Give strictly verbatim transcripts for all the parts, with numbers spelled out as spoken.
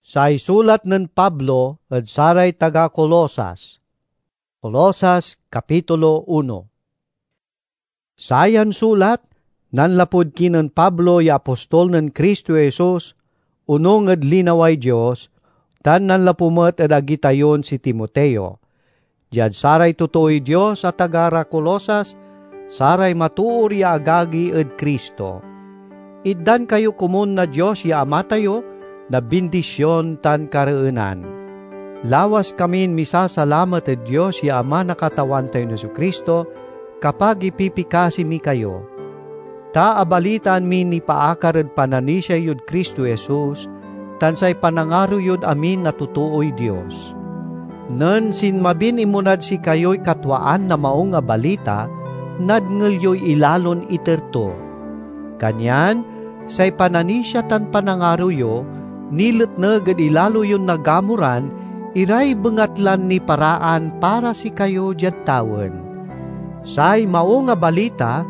Say sulat nen Pablo ed saray taga Colosas. Colosas, kapitulo uno. Sayan sulat nanlapud kinen Pablo ya apostol nen Cristo Jesus, onung ed linaway Dios, tan nanlapu met ed agi tayon si Timoteo. Diad saray totooy Dios a taga ra Colosas, saray matoor ya agagi ed Cristo. Itdan kayo komun na Dios ya Ama tayo na bindision tan kareenan. Lawas kamin misasalamat ed Dios ya Ama na Katawan tayon Jesu-Cristo, kapag ipipikasi mi kayo. Ta abalitaan miy nipaakar ed pananisia yod Cristo Jesus, tan say panangaro yod amin a totooy Dios. Nen sinmabin inmunad sikayoy katwaan na Maung a Balita, nadngel yoy ilalon iter to. Kanyan say pananisia tan panangaro yo niletneg ed ilalo yon nagamuran iray bengatlan niparaan para sikayo diad tawen. Say Maung a Balita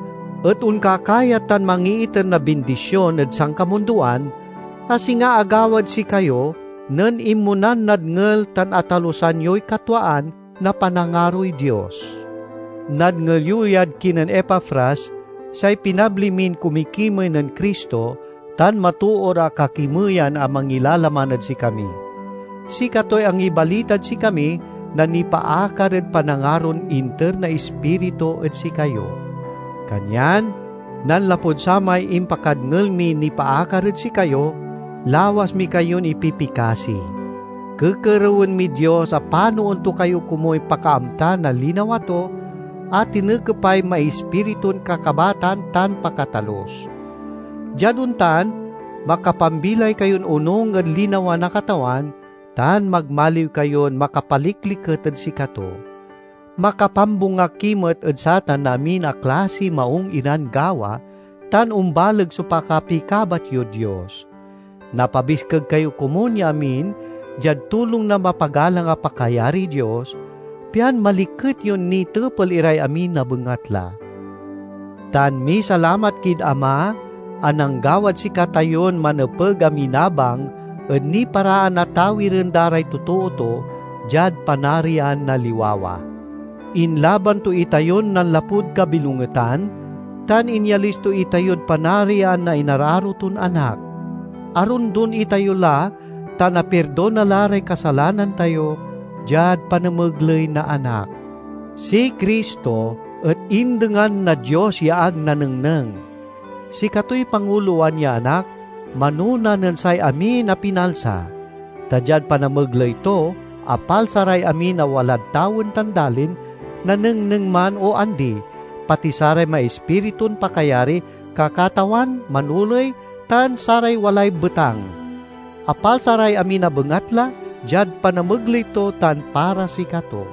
et onkakayat tan mangiiter na bindision ed sankamundoan, a singa agawad sikayo nen inmunan nadngel tan atalusan yoy katwaan na panangaroy Dios. Nadngel yo yad kinen Epafras say pinabli min kumikimey nen Cristo tan matoor a kakimeyan a mangilalaman ed sikami. Sikatoy angibalitad sikami na nipaakar ed panangaron inter na Ispiritu ed sikayo. Kanyan, nanlapud samay impakadngel mi nipaakar ed sikayo, lawas mi kayon ipipikasi. Kekerewen miy Dios a panoen to kayo komuy pakaamta na linawa to, a tinekepay maispiritun kakabatan tan pakatalus. Diad ontan, makapambilay kayon onung ed linawa na Katawan, tan magmaliw kayon makapalikliket ed sikato. Makapambunga ki met ed satan na amin a klasiy maung iran gawa, tan ombaleg so pakapikabat yod Dios. Napabiskeg kayo komun ya amin diad tulong na mapagalang a pakayariy Dios, pian maliket yon nitepel iray amin a bengatla. Tan misalamat kid Ama a nanggawad sikatayon manepeg a minabang ed niparaan a tawiren da ray totoo to diad Panarian na liwawa. Inlaban to itayon nanlapud kabilongetan, tan inyalis to itayod Panarian na inararo ton Anak. Arondon itayo la tan apirdona la ray kasalanan tayo diad panamegley na Anak. Si Cristo et indengan na Dios ya ag nanengneng. Sikatoy pangulowan ya Anak, manona nen say amin a pinalsa. Ta diad panamegley to, apalsa ray amin a walad tawen tan dalin, nanengneng man o andi, pati saray maispiritun pakayari, kakatawan, manoley, tan saray walay betang. Apalsa ray amin a bengatla diad panamegley to tan para sikato.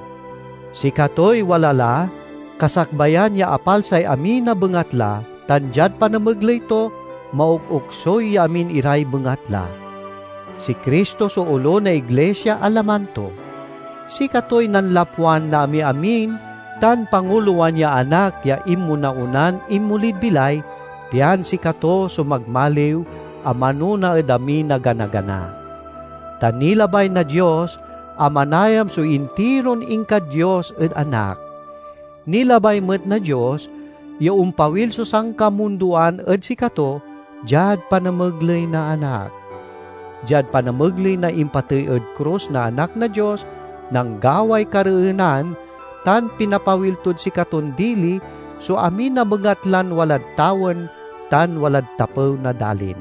Sikatoy wala la, kasakbayan ya apalsay amin a bengatla, tan diad panamegley to, maokoksoy ya amin iray bengatla. Si Cristo so olo na iglisia a laman to. Sikatoy nanlapwan na amiamin tan pangulowan ya Anak ya inmona-onan inmolid bilay, pian sikato so magmaliw a manona ed amin a gana-gana. Ta nilabay na Dios a manayam so intiron inka Dios ed Anak. Nilabay met na Dios ya ompawil so sankamundoan ed sikato diad panamegley na Anak. Diad panamegley na impatey ed krus na Anak na Dios, nanggaway kareenan, tan pinapawil tod sikaton dili so amin a bengatlan walad tawen tan walad tapew na dalin.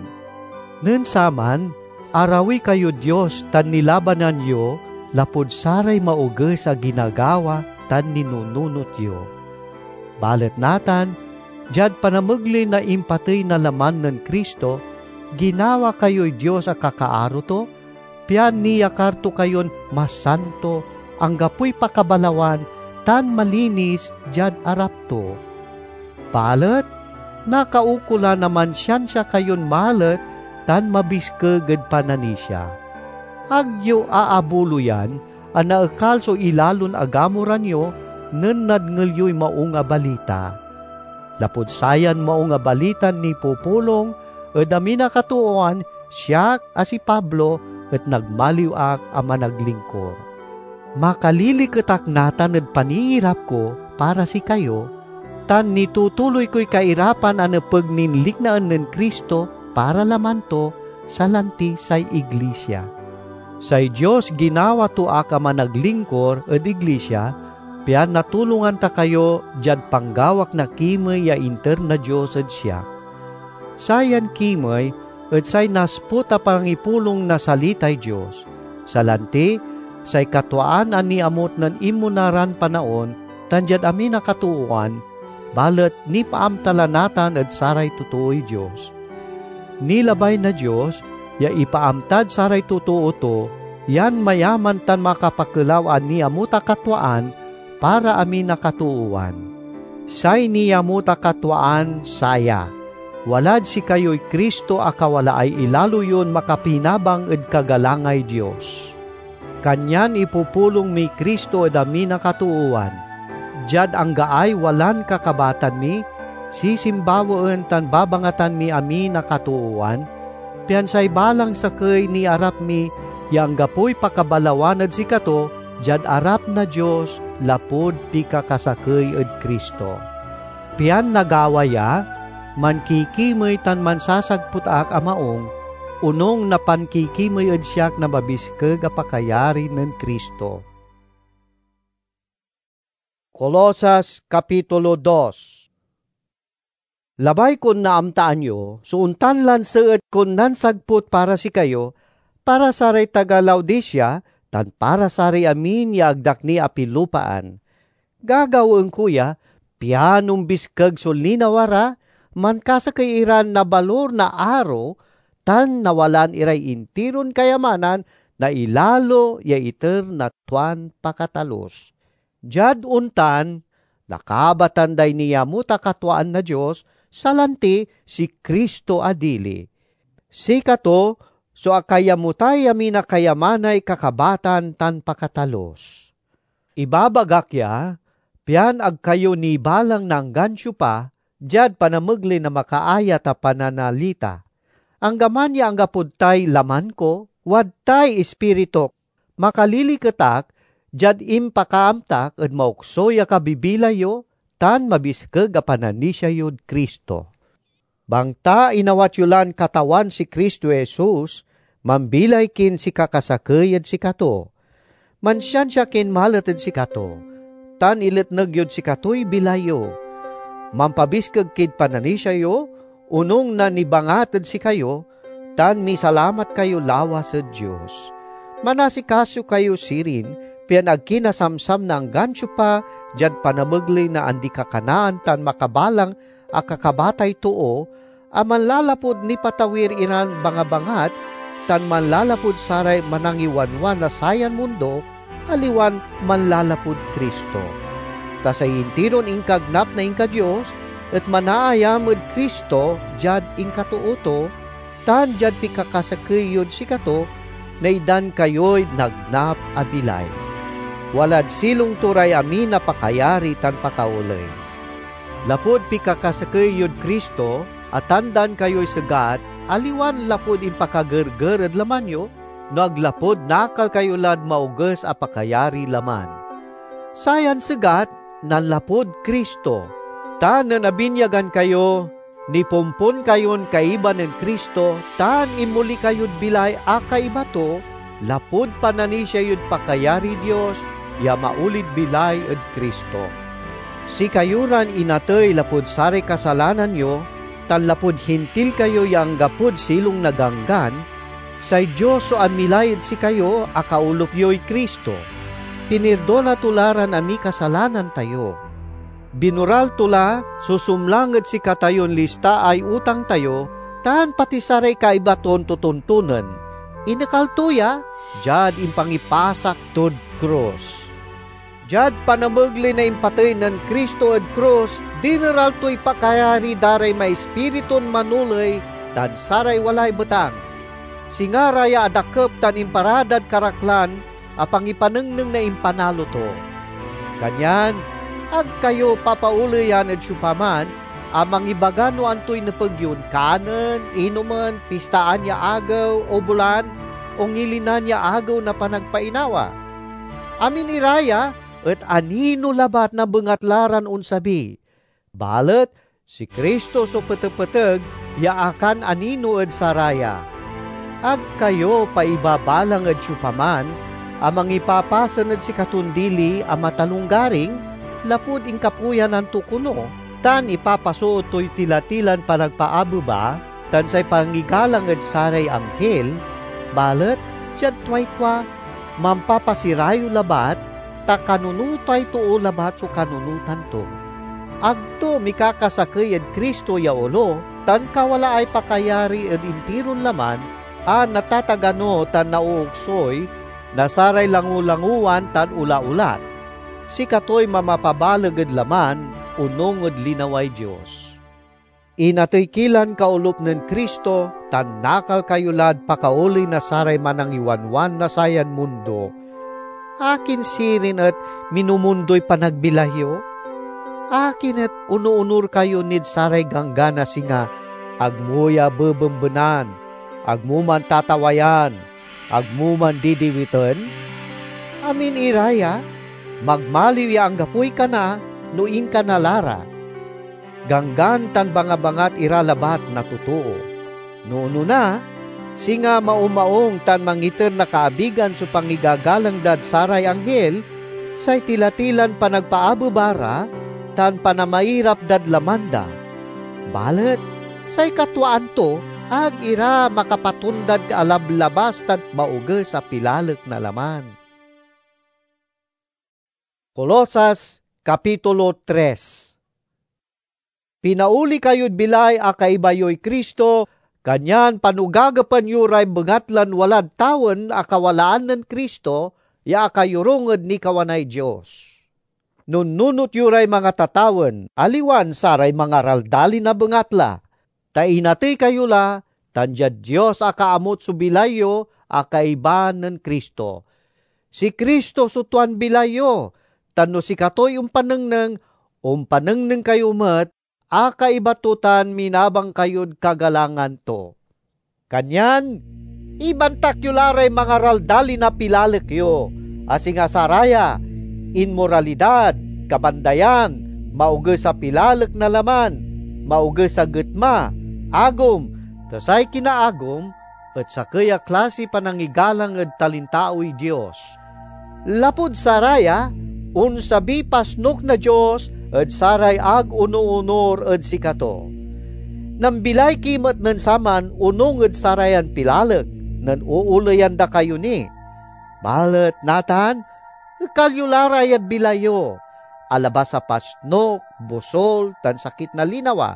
Nen saman, arawi kayod Dios tan nilabanan yo lapud saray maoges a ginagawa tan ninununot yo. Balet natan, diad panamegley na impatey na laman nen Cristo, ginawa kayoy Dios a kakaaro to, pian niyakar to kayon masanto, anggapoy pakabalawan, tan malinis diad arap to. Balet nakaukolan a mansiansia kayon malet tan mabiskeg ed pananisia. Ag yo aabuloyan a naekal so ilalon agamoran yo nen nadngel yoy Maung a Balita. Lapud sayan Maung a Balitan nipupulong ed amin a katooan, siak a si Pablo et nagmaliw ak a managlingkor. Makaliliket ak natan ed paniirap ko para sikayo, tan nitutuloy koy kairapan a nepeg nin liknaen nen Cristo para laman to, salanti say iglisia. Say Dios ginawa to ak a managlingkor ed iglisia, pian natulongan ta kayo diad panggawak na kimey ya inter na Dios ed siak. Sayan kimey et say nasput a pangipulong na salitay Dios. Salanti, say katwaan a niamut nen inmona ran panaon tan diad amin a katoowan, balet nipaamta la natan ed saray totooy Dios. Nilabay na Dios ya ipaamtad saray totoo to yan mayaman tan makapakelaw a niamut a katwaan para amin a katoowan. Say niamut a katwaan saya: walad sikayoy Cristo a kawalaay ilalo yon makapinabang ed kagalangay Dios. Kanyan ipupulong miy Cristo ed amin a katoowan. Diad anggaay walan kakabatan mi, sisimbawaen tan babangatan miy amin a katoowan, pian say balang sakey niarap mi ya anggapoy pakabalawan ed sikato diad arap na Dios lapud pikakasakey ed Cristo. Pian nagawa ya, mankikimey tan mansasagput ak a maung, onung na pankikimey ed siak na mabiskeg a pakayari nen Cristo. Colosas Kapitulo dos. Labay kon naamtaan yo so ontan lan seet kon nansagput para sikayo, para saray taga Laodicea, tan para saray amin ya agdak ni apilupaan. Gagawaen ko ya, pian ombiskeg so linawa ra, mankasakey iran nabalur na aro, tan nawalaan iray intiron kayamanan na ilalo ya iter na tuan pakatalus. Diad ontan, nakabatan day niamut a katwaan na Dios, salanti si Cristo a dili. Sikato so akayamutay amin a kayamanay kakabatan tan pakatalus. Ibabagak ya, pian ag kayo nibalang na anggan siopa diad panamegley na makaayat a pananalita. Anggaman ya anggapod tay laman ko, wadtay ispirituk. Makaliliket ak diad impakaamtak ed maokso ya kabibilay yo tan mabiskeg a pananisia yod Cristo. Bangta inawat yo lan Katawan si Cristo Jesus, mambilay kin sikakasakey ed sikato. Mansiansia kin malet ed sikato, tan iletneg yod sikatoy bilay yo. Mampabiskeg kid pananisia yo, onung na nibangat ed sikayo, tan misalamat kayo lawas ed Dios. Manasikaso kayo sirin, pian ag kinasamsam na anggan siopa diad panamegley na andi-kakanaan tan makabalang a kakabatay too, a manlalapud nipatawir iran bangabangat tan manlalapud saray manangiwanwan na sayan mundo, aliwan manlalapud Cristo. Ta say intiron inkagnap na inka-Dios et manaayam ed Cristo diad inkatoo to, tan diad pikakasakey yod sikato, naitdan kayoy nagnap a bilay. Walad silong to ray amin a pakayari tan pakaoley. Lapud pikakasakey yod Cristo, atandan kayoy segat, aliwan lapud impakagerger ed laman yo, no ag lapud nakal kayo lad maoges a pakayariy laman. Sayan segat nanlapud Cristo, ta nen abinyagan kayo, nipompon kayon kaiba nen Cristo, tan inmoli kayod bilay a kaiba to, lapud pananisia yod pakayariy Dios ya maolid bilay ed Cristo. Sikayo ran inatey lapud saray kasalanan yo, tan lapud Hintil kayo ya anggapod silong na Ganggan, say Dios so amilay ed sikayo a kaolop yoy Cristo. Pinirdona to la ran amiy kasalanan tayo. Binoral to la so sumlang ed sikatayon listaay utang tayo, tan pati saray kaiba ton totontonen. Inekal to ya diad impangipasak tod krus. Diad panamegley na impatey nen Cristo ed krus, dineral toy pakayari da ray maispiritun manoley tan saray walay betang. Singa ra ya adakep tan imparadad karaklan a pangipanengneng na impanalo to. Kanyan, ag kayo papaoleyan ed siopaman a mangibaga no antoy nepeg yon kanen, inomen, pistaan ya agew, o bulan, ongilinan ya Agew na Panagpainawa. Amin ira ya et anino labat na bengatla ran onsabi. Balet si Cristo so petepeteg ya akananino ed saraya. Ag kayo paibabalang ed siopaman a mangipapasen ed sikaton dili a matalonggaring, lapud inkapuyanan to kono, tan ipapasoot toy tila-tilan panagpaabeba tan say pangigalang ed saray anghil, balet diad tuay tua, mampapasirayew labat, ta kanunotay too labat so kanunotan to. Ag to mikakasakey ed Cristo ya olo tan kawalaay pakayari ed intiron laman a natatagano tan naooksoy na saray langolangowan tan olaolat. Sikatoy mamapabaleg ed laman onung ed linaway Dios. Inatey ki lan kaolop nen Cristo tan nakal kayo lad pakaoley na saray manangiwanwan na sayan mundo. Akin sirin et minumundoy panagbilay yo? Akin et onoonor kayo nid saray ganggan a singa agmo ya bebembenan, agmo mantatawayan, agmo mandidiwiten? Amin ira ya, magmaliw ya anggapoy kana no inkana la ra. Ganggan tan bangabangat ira labat na totoo. No onona, singa maomaung tan mangiter na kaabigan so pangigagalang dad saray anghil, say tila-tilan panagpaabeba ra tan panamairap dad laman da. Balet say katwaan to ag ira makapatondad alablabas tan maoges a pilalek na laman. Colosas, Kapitulo tres. Pinaoli kayod bilay a kaiba yoy Cristo, kanyan panugagepen yo ray bengatlan walad tawen a kawalaan nen Cristo ya akayorung ed nikawanay Dios. Nunnunot yo ray mangatatawen, aliwan saray mangaraldalin a bengatla, ta inatey kayo la, tan diad Dios akaamut so bilay yo a kaiba nen Cristo. Si Cristo so tuan bilay yo, tan no sikatoy ompanengneng, ompanengneng kayo met a kaiba to tan minabang kayod kagalangan to. Kanyan ibantak yo la ray mangaraldalin a pilalek yo, a singa saraya: inmoralidad, kabandayan, maoges a pilalek na laman, maoges a getma, agom, ta say kinaagom et sakey a klasiy panangigalang ed talintaoy Dios. Lapud saraya, onsabiy pasnok na Dios ed saray ag onoonor ed sikato. Nambilay ki met nen saman onung ed sarayan pilalek nen ooleyan da kayo ni. Balet natan, ekal yo la ra yad bilay yo, alabas a pasnok, bosul, tan sakit na linawa,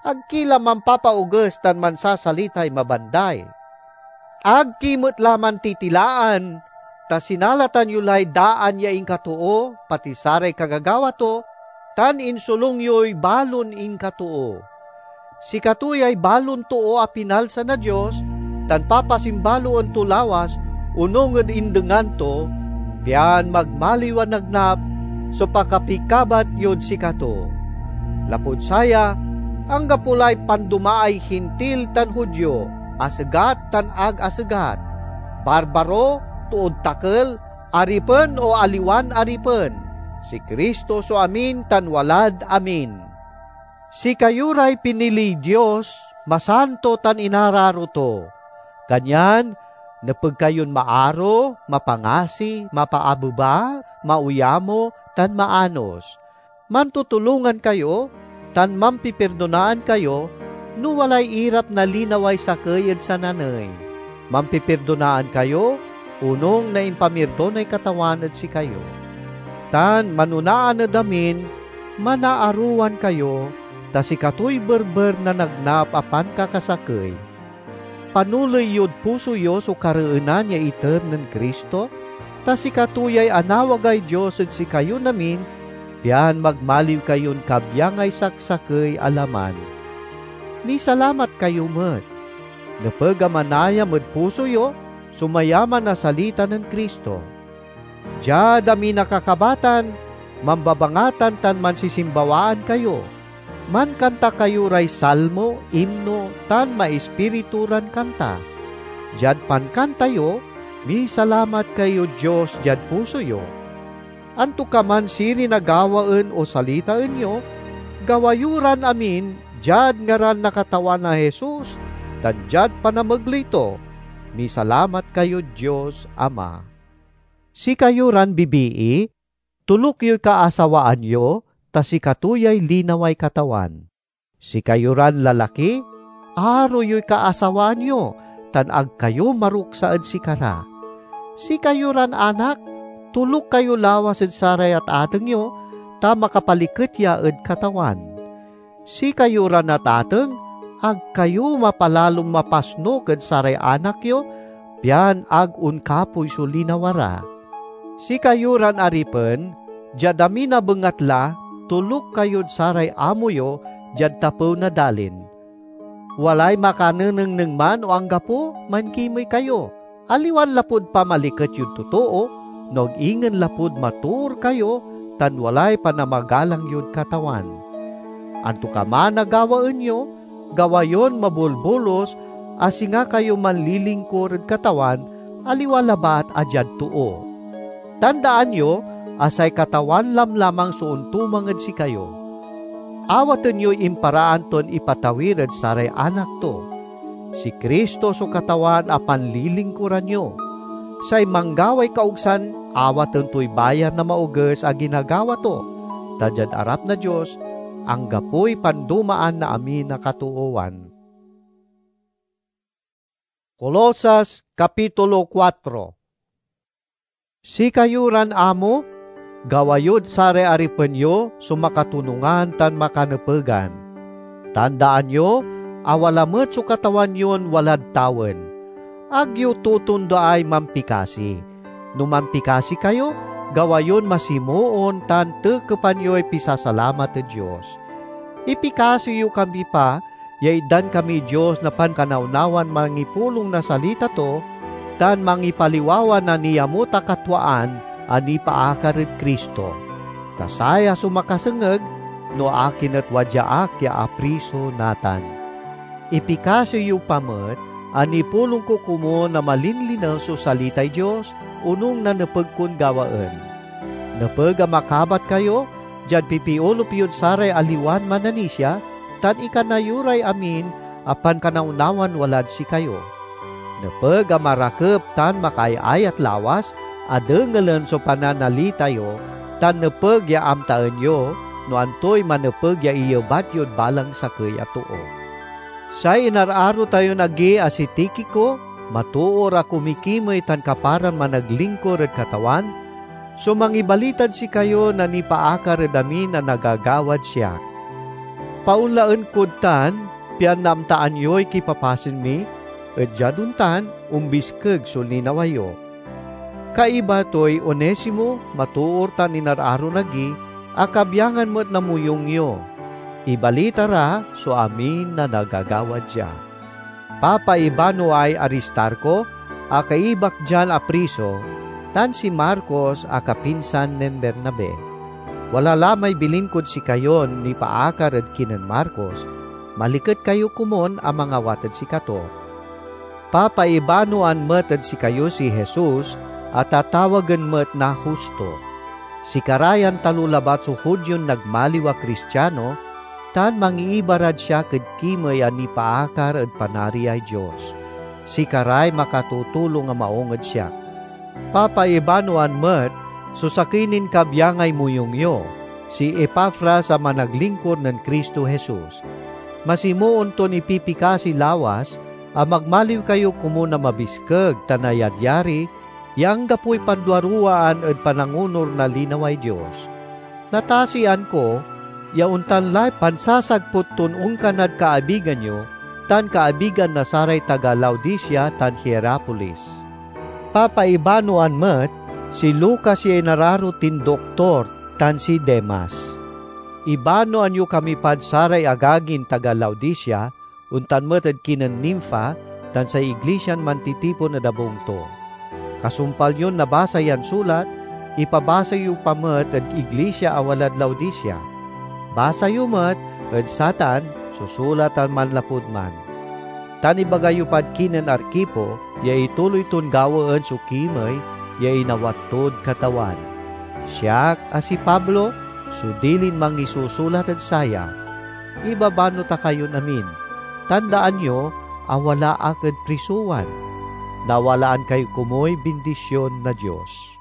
ag ki la mampapaoges tan mansasalitay mabanday. Ag ki met la mantitilaan, ta sinalatan yo lay daan ya inkatoo, pati saray kagagawa to, tan insolung yoy balon inkatoo. Sikato yay balon too a pinalsa na Dios, tan papasimbaloen to lawas onung ed indengan to, pian magmaliw a nagnap so pakapikabat yod sikato. Lapud saya, anggapo lay pandomaay Hintil tan Judio, asegat tan ag asegat, barbaro, tood takel, aripen o aliwan aripen, si Cristo so amin tan walad amin. Sikayo ray piniliy Dios, masanto tan inararo to. Kanyan, nepeg kayon maaro, mapangasi, mapaabeba, mauyamo, tan maanos. Mantutulongan kayo, tan mampipirdonaan kayo no walay irap na linaway sakey ed sananey. Mampipirdonaan kayo, onung na impamirdonay Katawan ed sikayo. Tan manonaan ed amin, manaarowan kayo, ta sikatoy berber na nagnap a pankakasakey. Panoley yod puso yo so kareenan ya iter nen Cristo, ta sikato yay anawagay Dios ed sikayon amin, pian magmaliw kayon kabyangay saksakey a laman. Misalamat kayo met. Nepeg a manayam ed puso yo so mayaman a salita nen Cristo. Diad amin a kakabatan, mambabangatan tan mansisimbawaan kayo. Mankanta kayo ray salmo, imno, tan maispiritu ran kanta. Diad pankanta yo, Misalamat kayod Dios diad puso yo. Antokaman sirin a gawaen o salitaen yo, gawa yo ran amin diad ngaran na Katawan a Jesus tan diad panamegley to. Misalamat kayod Dios Ama. Sikayo ran bibii, toluk yoy kaasawaan yo, ta sikato yay linaway Katawan. Sikayo ran lalaki, aro yoy kaasawaan yo, tan ag kayo maruksa ed sikara. Sikayo ran anak, toluk kayo lawas ed saray atateng yo, ta makapaliket ya ed Katawan. Sikayo ran atateng, ag kayo mapalalon mapasnok ed saray anak yo, pian ag onkapoy so linawa ra. Sikayo ran aripen, diad amin a bengatla, toluk kayod saray amo yo diad tapew na dalin. Walay makanenengneng man o anggapo, mankimey kayo, aliwan lapud pamaliket yod totoo, no ag ingen lapud matoor kayo tan walay panamagalang yod Katawan. Antokaman a gawaen yo, gawa yon mabolbolos, a singa kayo manlilingkur ed Katawan, aliwa labat a diad too. Tandaan yo a say Katawan lamlamang so ontumang ed sikayo. Awaten yoy imparaan ton ipatawir ed saray anak to. Si Cristo so Katawan a panlilingkuran yo. Say manggaway kaogsan, awaten toy bayar na maoges a ginagawa to, ta diad arap na Dios, anggapoy pandomaan na amin a katoowan. Colosas, Kapitulo kuatro. Sikayo ran amo, gawa yod saray aripen yo so makatonungan tan makanepegan. Tandaan yo a wala met so Katawan yon walad tawen. Ag yo totondaay mampikasi. No mampikasi kayo, gawa yon masimoon tan tekepan yoy pisasalamat ed Dios. Ipikasi yo kami pa ya itdan kamiy Dios na pankanawnawan mangipulong na salita to tan mangipaliwawa na niamut a katwaan a nipaakar ed Cristo. Ta saya so makasengeg no akin et wadya ak ya apriso natan. Ipikasi yo pa met a nipulong ko komun a malinlinew so salitay Dios, onung na nepeg kon gawaen. Nepeg a makabat kayo diad pipiolup yod saray aliwan mananisia, tan ikana yo ray amin a pankanawnawan walad sikayo. Nepeg a marakep tan makaayayat lawas a dengelen so pananalita yo, tan nepeg ya amtaen yo no antoy manepeg ya iyebat yod balang sakey a too. Say inararo tayon agi a si Tikico, matoor a kumikimey tan kaparan managlingkur ed Katawan, so mangibalitad sikayo na nipaakar ed amin a nagagawad siak. Paonlaen kod tan, pian naamtaan yoy kipapasen mi, et diad ontan, ombiskeg so linawa yo. Kaiba toy Onesimo, matoor tan inararon agi, a kabyangan met na moyung yo. Ibalita ra so amin a nagagawad dia. Papaibanoay Aristarco a kaibak dian apriso, tan si Marcos a kapinsan nen Bernabe. Wala la may bilin kod sikayon nipaakar ed kinen Marcos, maliket kayo komun a mangawat ed sikato. Papaibanoan met ed sikayo si Jesus a tatawagen met na Justo. Sikara yan talo labat so Judion nagmaliw a Kristiano, tan mangiiba rad siak ed kimey a nipaakar ed Panariay Dios. Sikaray makatutulong a maung ed siak. Papaibanoan met so sakey nin kabyangay moyung yo, si Epafras a managlingkur nen Cristo Jesus. Masimoon ton ipipikasi lawas a magmaliw kayo komun a mabiskeg tan nayadyari ya anggapoy panduaruwaan ed panangonur na linaway Dios. Natasian ko ya ontan lay pansasagput ton onkanad kaabigan yo tan kaabigan na saray taga Laodicea tan Hierapolis. Papaibanoan met si Lucas ya inararo tin doktor tan si Demas. Ibanoan yo kami pad saray agagin taga Laodicea, ontan met ed kinen Nimfa tan say iglisian mantitipon ed abung to. Kasumpal yon nabasa yan sulat, ipabasa yo pa met ed iglisia a walad Laodicea. Basa yo met ed satan so sulatan manlapud man. Tan ibaga yo pad kinen Arquipo, ya ituloy ton gawaen so kimey ya inawat tod Katawan. Siak a si Pablo so dilin mangisusulat ed saya. Ibabano ta kayon amin. Tandaan yo a wala ak ed prisowan. Nawalaan kayo komuy bindisyon na Dios.